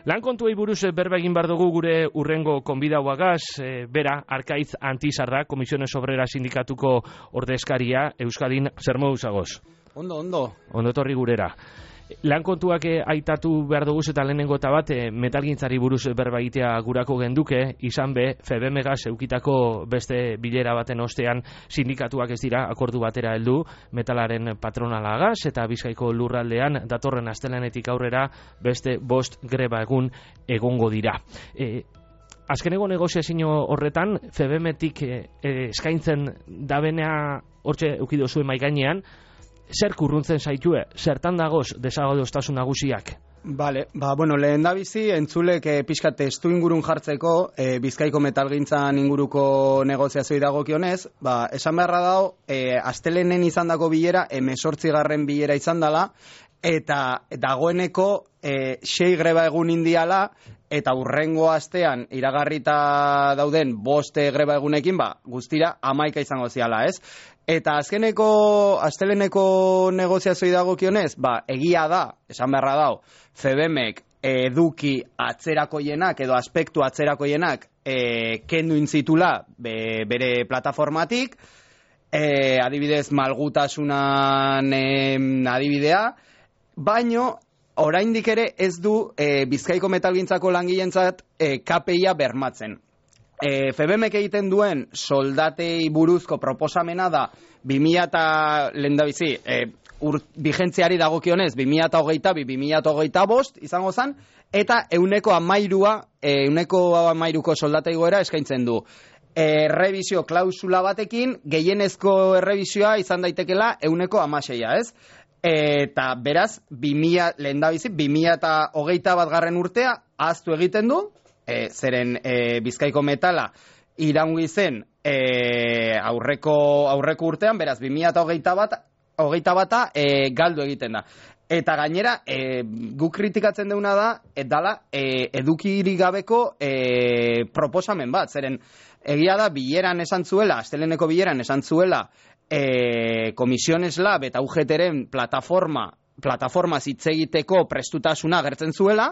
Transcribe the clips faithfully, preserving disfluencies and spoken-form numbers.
Lan kontuei buruz berba egin bar dugu gure urrengo konbidauagaz, e, bera, Arkaitz Antizarra, Komisiones Obrera Sindikatuko ordezkaria, Euskadin, zer moduz agoz? Ondo, ondo. Ondo etorri gurera. Lan kontuak aitatu behar dugu eta lehenengo eta bat metalgintzari buruz berba egitea gurako genduke, izan be, Febemegaz eukitako beste bilera baten ostean sindikatuak ez dira akordu batera heldu metalaren patronalagaz eta Bizkaiko lurraldean datorren astelehenetik aurrera beste bost greba egun egongo dira. E, Azkeneko negoziazio horretan, Febemetik e, eskaintzen dabenea hortxe eukido zuen maigainean, zer kurruntzen zaitue, zertan dagoz desagodostasun nagusiak? Bale, ba, bueno, lehen da bizi, entzulek e, pixka testu ingurun jartzeko, e, Bizkaiko metalgintzan inguruko negoziazioi dagokionez, ba, esan beharra dago, e, astelenen izan dago bilera, emesortzigarren bilera izan dela, eta dagoeneko e, sei greba egun indiala, eta urrengo astean iragarrita dauden boste greba egunekin, ba, guztira hamaika izango ziala, ez? Eta azkeneko, asteleneko negoziazioi dagokionez, ba, egia da, esan beharra dau, Febemek eduki atzerakoienak edo aspektu atzerakoienak e, kendu intzitula be, bere plataformatik, e, adibidez malgutasunan e, adibidea, baino oraindik ere ez du e, Bizkaiko metalgintzako langileentzat e, K P I-a bermatzen. E, Febemek egiten duen soldatei buruzko proposamena da bi mila eta lehendabizi e, ur, vigentziari dagokionez bi mila hogeita bi bi mila hogeita bost izango zen, eta euneko amairua e, euneko amairuko soldatei goera eskaintzen du. E, errebizio klausula batekin gehienezko errebizioa izan daitekela euneko amaseia, ez? Eta beraz, bi mila, lehendabizi, bi mila eta hogeita bat garren urtea ahaztu egiten du, e, zeren e, Bizkaiko metala iraungi zen e, aurreko, aurreko urtean, beraz, bi mila eta hogeita bat, hogeita bata e, galdu egiten da. Eta gainera, e, guk kritikatzen deuna da, et dala, e, edukirik gabeko e, proposamen bat, zeren egia da, bileran esan zuela, asteleneko bileran esan zuela, E, Komisiones Lab eta U G T-ren plataforma, plataforma hitz egiteko prestutasuna agertzen zuela,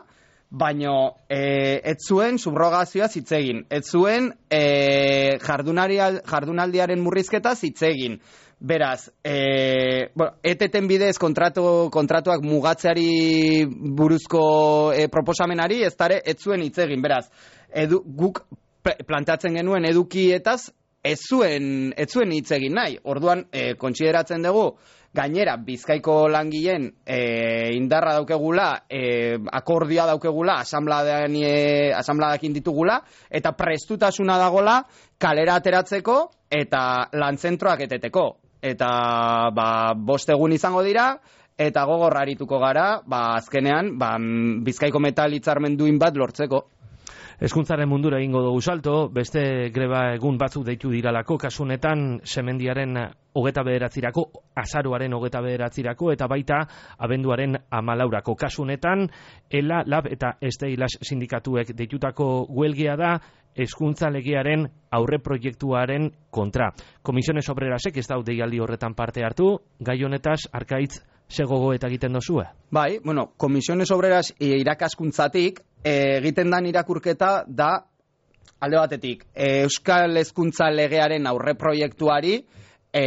baino e, ez zuen subrogazioa hitz egin, ez zuen e, jardunaldiaren murrizketa hitz egin. Beraz, e, bueno, E T T-en bidez kontratu, kontratuak mugatzeari buruzko e, proposamenari ez dare ez zuen hitz egin. Beraz, edu, guk planteatzen genuen edukietaz Ez zuen, ez zuen hitz egin nahi. Orduan, e, kontsideratzen dugu, gainera, Bizkaiko langileen e, indarra daukegula, e, akordioa daukegula, asanbladean, asanbladekin ditugula, eta prestutasuna dagola kalera ateratzeko eta lantzentroak eteteko. Eta, ba, bost egun izango dira, eta gogor arituko gara, ba, azkenean, ba, Bizkaiko metal hitzarmenduin bat lortzeko. Hezkuntzaren mundura egingo dugu salto, beste greba egun batzuk deitu diralako, kasunetan semendiaren hogeta bederatzirako, azaroaren hogeta bederatzirako, eta baita abenduaren amalaurako. Kasunetan, ELA, LAB eta Esteilas sindikatuek deitutako huelgia da, hezkuntza legearen aurre proiektuaren kontra. Komisiones Obrerasek ez daude deialdi horretan parte hartu, gai honetaz, Arkaitz, ze gogoeta egiten dozue? Bai, bueno, Komisiones Obreras irakaskuntzatik egiten dan irakurketa da alde batetik Euskal Hezkuntza Legearen aurre proiektuari e,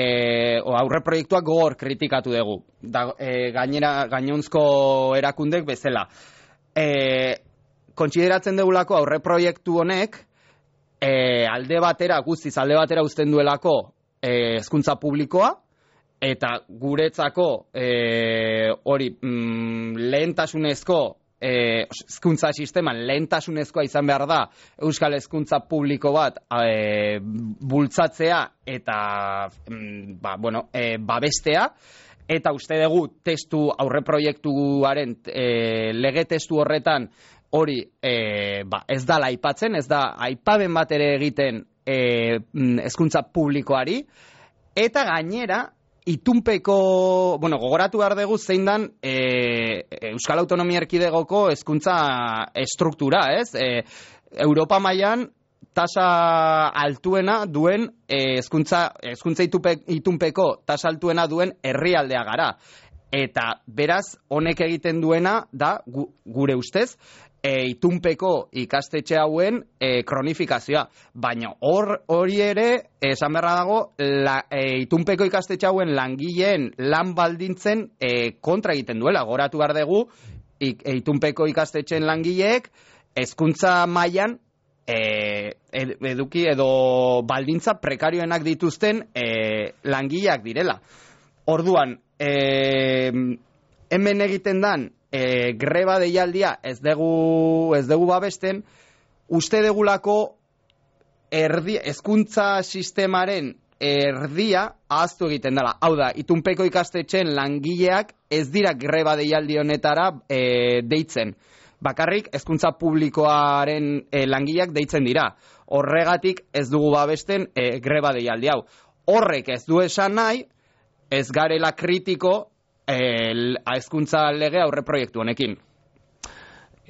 o aurre proiektuak gogor kritikatu dugu da, e, gainera gainonzko erakundek bezala e, kontsideratzen dugulako aurre proiektu honek e, alde batera, guztiz alde batera uzten duelako e, hezkuntza publikoa eta guretzako e, hori mm, lehentasunezko hezkuntza e, sisteman lehentasunezkoa izan behar da Euskal Hezkuntza publiko bat e, bultzatzea eta mm, ba, bueno, e, babestea, eta uste dugu testu aurreproiektuaren e, lege testu horretan hori e, ba, ez da aipatzen, ez da aipaben bat ere egiten hezkuntza e, publikoari, eta gainera itunpeko, bueno, gogoratu behar dugu zein dan e, Euskal Autonomia Erkidegoko hezkuntza estruktura, ez? E, Europa mailan tasa altuena duen hezkuntza hezkuntza itunpeko tasa altuena duen herrialdea gara. Eta beraz, honek egiten duena da gu, gure ustez, e, itunpeko ikastetxe hauen e, kronifikazioa. Baina hor hori ere, esan beharra dago, la, e, itunpeko ikastetxe hauen langileen lan baldintzen e, kontra egiten duela. Goratu behar dugu, ik, e, itunpeko ikastetxeen langileek hezkuntza mailan e, eduki edo baldintza prekarioenak dituzten e, langileak direla. Orduan, e, hemen egiten dan e, greba deialdia ez dugu, ez dugu babesten, uste degulako erdi, hezkuntza sistemaren erdia ahaztu egiten dela. Hau da, itunpeko ikastetxeen langileak ez dira greba deialdi honetara e, deitzen. Bakarrik hezkuntza publikoaren e, langileak deitzen dira. Horregatik ez dugu babesten e, greba deialdi hau. Horrek ez du esan nahi, ez garela kritiko hezkuntza lege aurre proiektu honekin.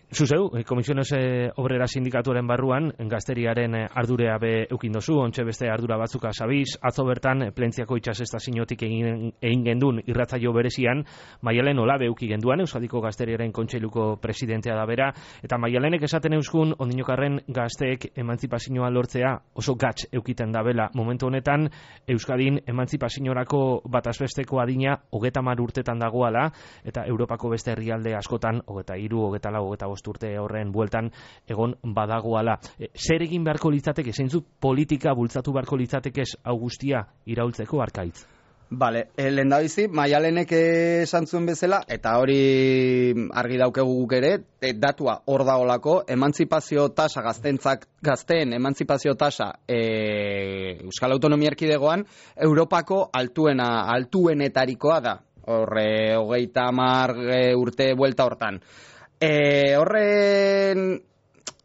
Zuzeu, Komisiones Obrera Sindikatuaren barruan, gazteriaren ardurea be eukin dozu, ontxe beste ardura batzuka sabiz, atzo bertan Plentziako itsasestaziotik egin, egin gendun irratzaio berezian, Maialen Olabe euki genduan, Euskadiko Gazteriaren Kontseiluko presidentea da bera, eta Maialenek esaten euskun, ondinokarren gazteek emantzipazioa lortzea oso gatz eukiten dabela. Momentu honetan, Euskadin emantzipazioarako batazbesteko adina hogeta mar urtetan dagoala, eta Europako beste herrialde askotan, hogeta hiru, hogeta lau, hogeta urte horren bueltan egon badagoala. E, zer egin beharko litzateke, zeintzu politika bultzatu beharko litzateke Augustia iraultzeko Arkaitz? Bale, e, lehendabizi, Maialenek esan zuen bezala, eta hori argi daukegu guk ere, e, datua hor daolako, emantzipazio tasa gaztentzak, gazteen emantzipazio tasa e, Euskal Autonomia Erkidegoan, Europako altuena, altuenetarikoa da. Horre, hogeita hamar e, urte buelta hortan. E, horren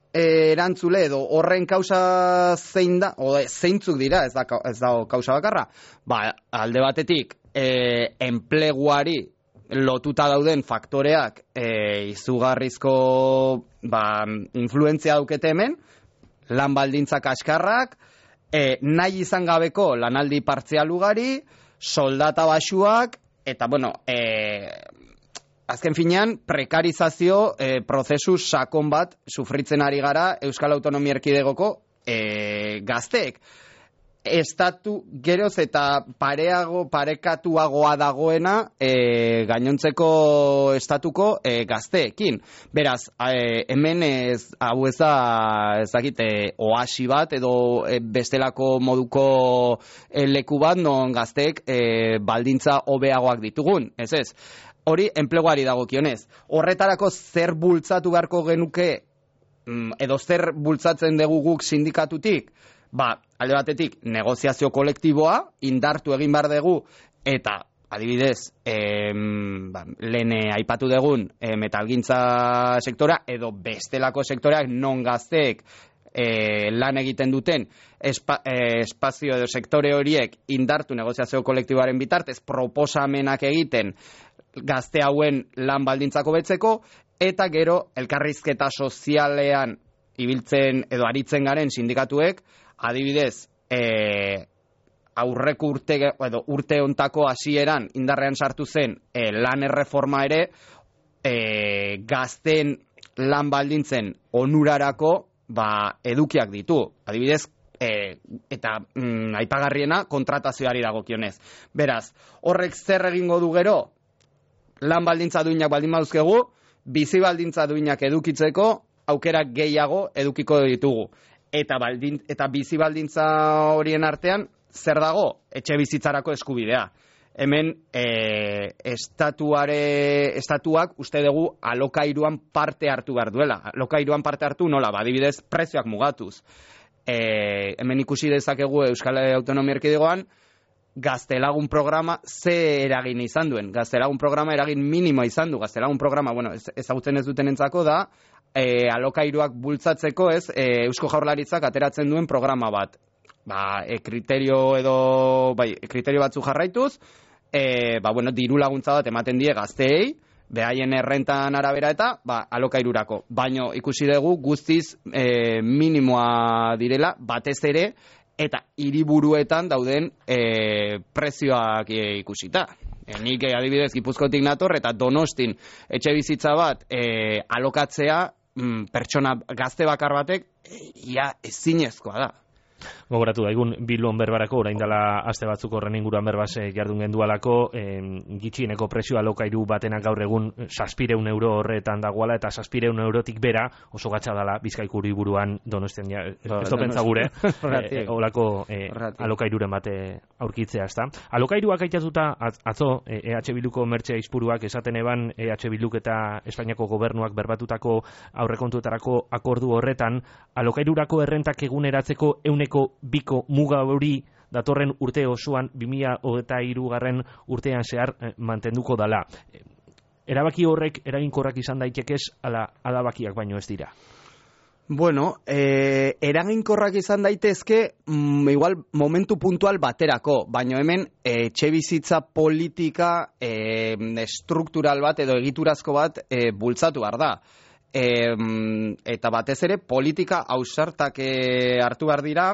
e, erantzule edo horren kausa zein da, o zeintzuk dira, ez da, ez da kausa bakarra, ba, alde batetik e, enpleguari lotuta dauden faktoreak e, izugarrizko ba, influentzia daukete hemen, lan baldintzak askarrak, e, nahi izan gabeko lanaldi partzial ugari, soldata baxuak, eta bueno, e, azken finean, prekarizazio e, prozesu sakon bat sufritzen ari gara Euskal Autonomia Erkidegoko e, gazteek. Estatu geroz eta pareago, parekatuagoa dagoena e, gainontzeko estatuko e, gazteekin. Beraz, e, hemen ez, hau ez da, ez dakit, e, oasi bat edo e, bestelako moduko e, leku bat non gazteek e, baldintza hobeagoak ditugun, ez ez. Hori enpleguari dagokionez. Horretarako zer bultzatu beharko genuke edo zer bultzatzen dugu guk sindikatutik? Ba, alde batetik negoziazio kolektiboa indartu egin behar dugu eta adibidez em, ba, lehen aipatu dugun e, metalgintza sektora edo bestelako sektoreak non gazteek E, lan egiten duten espa, e, espazio edo sektore horiek indartu negoziazio kolektiboaren bitartez proposamenak egiten gazte hauen lan baldintzako betzeko eta gero elkarrizketa sozialean ibiltzen edo aritzen garen sindikatuek adibidez e, aurreko urte edo urte hontako hasieran indarrean sartu zen e, lan erreforma ere e, gazten lan baldintzen onurarako ba, edukiak ditu. Adibidez, e, eta mm, aipagarriena kontratazioari dagokionez. Beraz, horrek zer egingo du gero? Lan baldintza duinak baldin baduzkegu, bizi baldintza duinak edukitzeko aukerak gehiago edukiko ditugu. Eta, baldin, eta bizi baldintza horien artean, zer dago? Etxe bizitzarako eskubidea. Hemen e, estatuare, estatuak uste dugu alokairuan parte hartu behar duela. Alokairuan parte hartu nola, badibidez prezioak mugatuz. E, hemen ikusi dezakegu Euskal Autonomia Erkidegoan gaztelagun programa ze eragin izan duen. Gaztelagun programa eragin minimo izan du. Gaztelagun programa, bueno, ezagutzen ez duten entzako da, e, alokairuak bultzatzeko ez e, Eusko Jaurlaritzak ateratzen duen programa bat. Ba, e, kriterio edo, bai, kriterio batzu jarraituz, e, ba, bueno, diru laguntza bat ematen die gazteei, behaien errentan arabera eta, ba, alokairurako. Baino ikusi dugu guztiz e, minimoa direla, batez ere, eta hiriburuetan dauden e, prezioak e, ikusita. E, nik e, adibidez Gipuzkoatik nator eta Donostin etxe bizitza bat e, alokatzea mm, pertsona gazte bakar batek, ia ezinezkoa da. Gogoratu daigun Bilbon berbarako orain dela aste batzuk horren inguruan berbaz jardun gendualako, eh, gitxieneko prezioa alokairu batenak gaur egun zazpireun euro horretan dagoala, eta zazpireun eurotik bera oso gatza dala Bizkaiko hiriburuan Donostian, ja, ez do pentsa gure eh, olako eh, alokairuren bate aurkitzea, ezta. Alokairuak aitatuta atzo eh, E H Bilduko mertxe izpuruak esaten eban E H Bilduk eta Espainiako gobernuak berbatutako aurrekontuetarako akordu horretan, alokairurako errentak eguneratzeko euneko biko muga hori datorren urte osoan bi mila hogeita hirugarren urtean zehar eh, mantenduko dala. Erabaki horrek eraginkorrak izan daitekez ala adabakiak baino ez dira. Bueno, eh, eraginkorrak izan daitezke mm, igual momentu puntual baterako, baino hemen etxe bizitza politika eh, estruktural bat edo egiturazko bat eh, bultzatu behar da. E, eta batez ere politika ausartak e, hartu behar dira,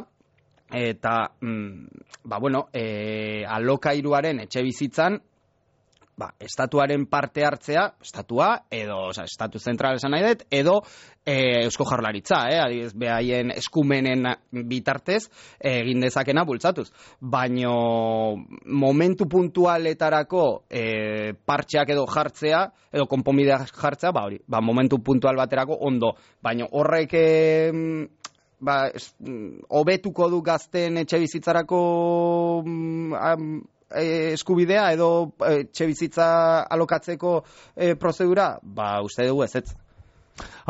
eta mm, ba bueno, e, alokairuaren etxe bizitzan ba, estatuaren parte hartzea, estatua edo, oza, estatu zentral esan nahi dut, edo e, Eusko Jaurlaritza, eh, adibidez, behaien eskumenen bitartez egin dezakena bultzatuz. Baino momentu puntualetarako e, partxeak edo jartzea, edo konponbideak jartzea, ba hori, ba momentu puntual baterako ondo. Baino horrek e, ba, es, hobetuko du gazten etxe bizitzarako am, eskubidea edo etxe bizitza alokatzeko e, prozedura, ba uste dugu ez ez.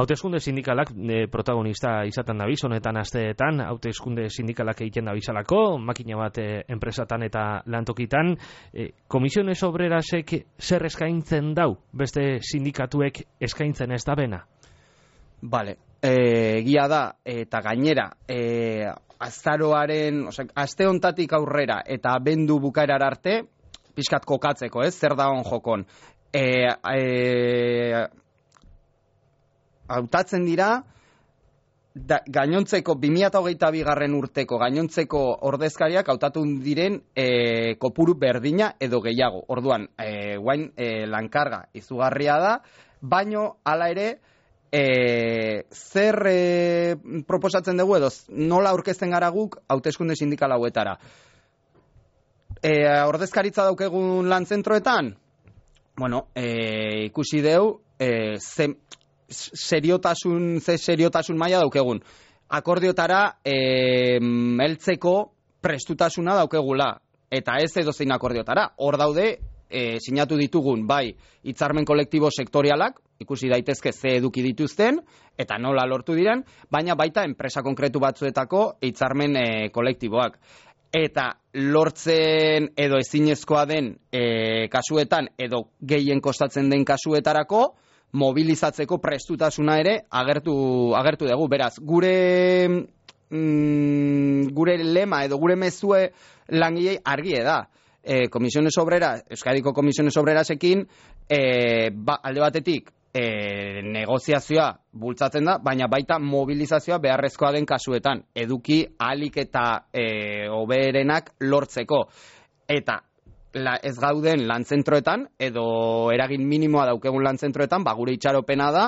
Hauteskunde sindikalak e, protagonista izaten dabiz, honetan asteetan, hauteskunde sindikalak egiten dabizalako, makina bat e, enpresatan eta lantokitan, e, Komisiones Obrerasek zer eskaintzen dau, beste sindikatuek eskaintzen ez da bena? Bale, e, egia da, eta gainera, e, azaroaren, osea, aste hontatik aurrera eta abendu bukaerar arte, pixkat kokatzeko, ez, zer da on jokon. E, e, hautatzen dira, da, gainontzeko bi mila hogeita bigarren urteko gainontzeko ordezkariak hautatu diren e, kopuru berdina edo gehiago. Orduan, e, guain e, lankarga izugarria da, baino hala ere, E, zer e, proposatzen dugu edo nola aurkezten gara guk hauteskunde sindikal hauetara. E, ordezkaritza daukegun lan zentroetan, bueno, e, ikusi deu e, ze seriotasun, ze seriotasun maila daukegun. Akordiotara e, heltzeko prestutasuna daukegula, eta ez edo zein akordiotara. Hor daude, e, sinatu ditugun bai hitzarmen kolektibo sektorialak, ikusi daitezke ze eduki dituzten, eta nola lortu diren, baina baita enpresa konkretu batzuetako hitzarmen e, kolektiboak. Eta lortzen edo ezinezkoa den e, kasuetan, edo gehien kostatzen den kasuetarako, mobilizatzeko prestutasuna ere agertu, agertu dugu. Beraz, gure, mm, gure lema edo gure mezue langilei argie da. E, Komisiones Obreras, Euskadiko Komisiones Obrerasekin, e, ba, alde batetik, E, negoziazioa bultzatzen da, baina baita mobilizazioa beharrezkoa den kasuetan, eduki ahalik eta e, hoberenak lortzeko. Eta la, ez gauden lantzentroetan, edo eragin minimoa daukegun lantzentroetan, ba, gure itxaropena da,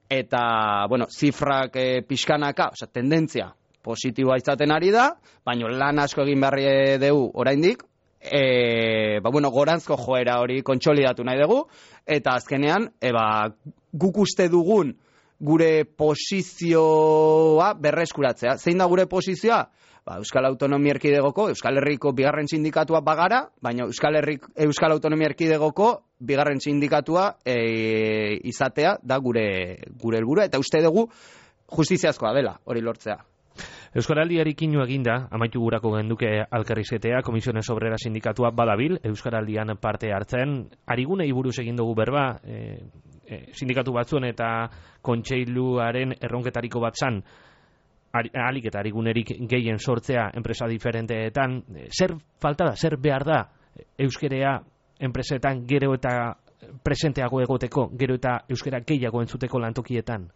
eta, bueno, zifrak e, pixkanaka, osea, tendentzia positiboa izaten ari da, baina lan asko egin beharri dugu oraindik, E, ba, bueno, goranzko joera hori kontsolidatu nahi dugu, eta azkenean e, ba, guk uste dugun gure posizioa berreskuratzea. Zein da gure posizioa? Ba, Euskal Autonomia Erkidegoko, Euskal Herriko bigarren sindikatua bagara, baina Euskal, Herrik, Euskal Autonomia Erkidegoko bigarren sindikatua e, izatea da gure gure helburua, eta uste dugu justiziazkoa dela hori lortzea. Euskaraldiari kinu eginda, amaitu gurako genduke alkarrizketea, Komisiones Obrera sindikatua badabil, Euskaraldian parte hartzen, arigunei buruz egin dugu berba, e, e, sindikatu batzuen eta kontseiluaren erronketariko bat zan, ahalik eta arigunerik gehien sortzea enpresa diferenteetan, zer falta da, zer behar da euskerea enpresetan gero eta presenteago egoteko, gero eta euskera gehiago entzuteko lantokietan?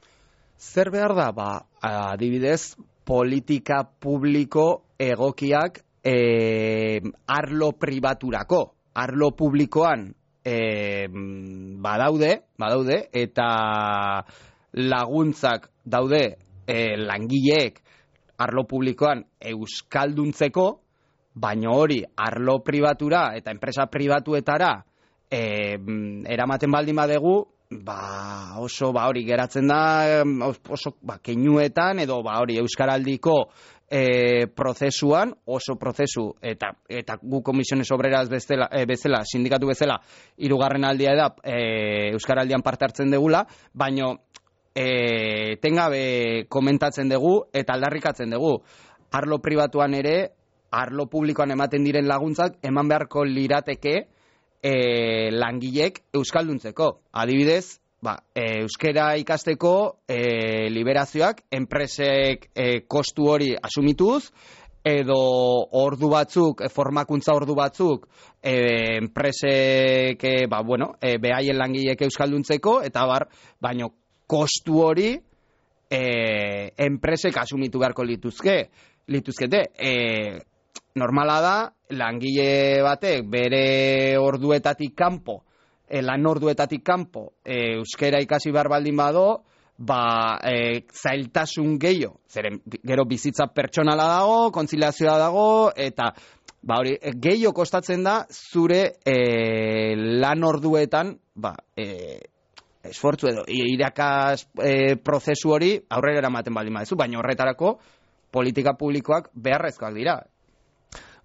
Zer behar da? Ba, adibidez, politika publiko egokiak e, arlo pribaturako, arlo publikoan e, badaude, badaude, eta laguntzak daude e, langileek arlo publikoan euskalduntzeko, baina hori arlo pribatura eta enpresa pribatuetara e, eramaten baldin badegu, ba oso ba hori geratzen da oso ba keinuetan edo ba hori euskaraldiko e, prozesuan oso prozesu eta eta gu Comisiones Obreras bezala, e, bezala sindikatu bezala hirugarren aldia da e, euskaraldian parte hartzen degula, baino e, etengabe komentatzen dugu eta aldarrikatzen dugu arlo pribatuan ere arlo publikoan ematen diren laguntzak eman beharko lirateke E, langilek euskalduntzeko. Adibidez, ba, e, euskera ikasteko e, liberazioak enpresek e, kostu hori asumituz, edo ordu batzuk, e, formakuntza ordu batzuk e, enpresek e, ba, bueno, e, behaien langilek euskalduntzeko, eta bar, baino kostu hori e, enpresek asumitu beharko lituzke, lituzkete. E, normala da, langile batek bere orduetatik kanpo, e, lan orduetatik kanpo, e, euskera ikasi behar baldin bado, ba, e, zailtasun gehiago, zeren gero bizitza pertsonala dago, kontziliazioa dago, eta ba, hori, gehiago kostatzen da zure e, lan orduetan, ba, e, esfortzu edo, irakas e, prozesu hori aurrera eramaten baldin badezu, baina horretarako politika publikoak beharrezkoak dira.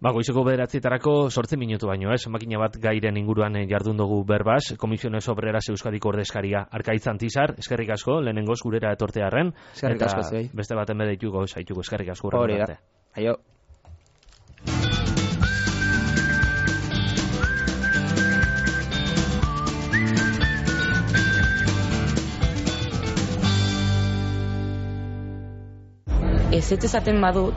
Ba, goizeko bederatzietarako sortzi minutu baino, ez? Makina bat gairen inguruan jardun dugu berbaz, Comisiones Obreras Euskadiko ordezkaria Arkaitz Antizar, eskerrik asko, lehenengoz gurera etortearren, eskerrik asko zuei. Beste baten bedeituko zaituko, eskerrik asko. Hori da, aio. Ez ez esaten badut,